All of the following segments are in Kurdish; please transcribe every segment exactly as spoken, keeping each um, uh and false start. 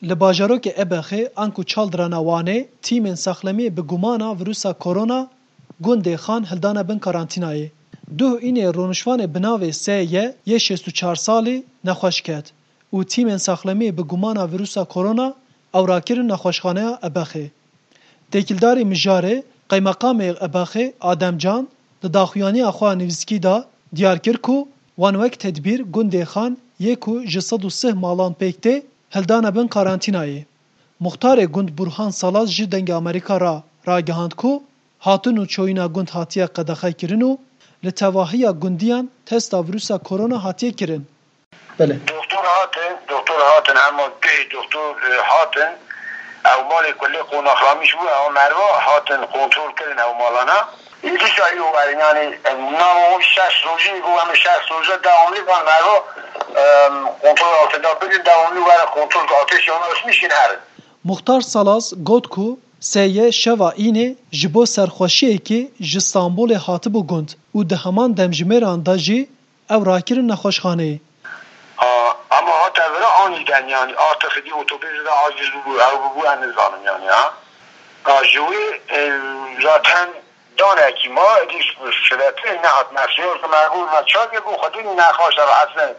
Li bajarokê Ebexê anku Çaldirana Wanê tîmên saxlemiyê bi gumana vîrusa korona gundê Xan hildane bin karantînayê. Duh înê rûnişvanê bi navê S Y yê şêst û çar salî nexweş ket û tîmên saxlemiyê bi gumana vîrusa korona ew rakirin nexweşxaneya Ebexê. Têkildarî mijarê Qeymeqamê Ebexê Adem Can di daxuyaniya xwe ya nivîskî de diyar kir ku wan wek tedbîr gundê Xan yê ku ji sed û sih malan pêk tê hildane bin karantînayê. Muxtarê gund Burhan Salaz ji Dengê Amerîka re ragihand ku hatin û çoyîna gund hatiye qedexekirin û li tevahiya gundiyan testa vîrusa korona hatiye kirin. Belê. Doktor hatin, doktor hatin, hema duhê doktor, e, hatin. Ew malê ku lê qonaxlamîş bû, ew merva hatin kontrol kirin ew malana. Dîsa îro werin, yanî, e, nava o şeş rojî bû, em şeş roje devamlı van merva, e, kontrol altında bidin, devamlı were kontrol ki ateş yanarışmış kin herin. Muxtar Salaz got ku S Y şeva înê ji bo serxweşiyekê ji Stanbolê hatibû gund û di heman demjimêran de jî ew rakirin nexweşxaneyê. Ha, ama hate vira anîden, yanî, artık di otobüsü de aciz bû, ew bû, em nizanin, yanî, ha. Ha, ji wê, e, zaten danekî ma, êdî şirete nehat nefsiyor ki me got, me çavê bû xwedî nexweş de rahatsız.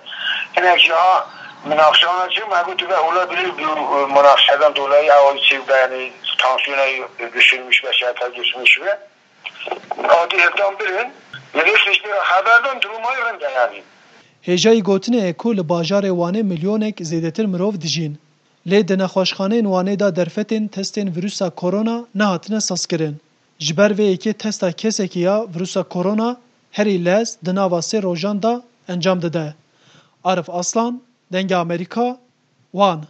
Hinek ya min axşama çi, me got, ve ola bile bu, e, münakaşadan dolayı ew çi, yanî, tansiyona düşürmüş ve şehata düşmüş ve. Adî hevdan birin, millet işte xeberdan durumayı rinde yani. Hêjayî gotinê ye ku li bajarê Wanê milyonek zêdetir mirov dijîn. Lê di nexweşxaneyên Wanê de derfetên testên vîrusa korona nehatine sazkirin. Ji ber vê yekê testa kesekî ya vîrusa korona herî lez di nava sê rojan de encam dide. Arif Aslan, Dengê Amerîka, Wan.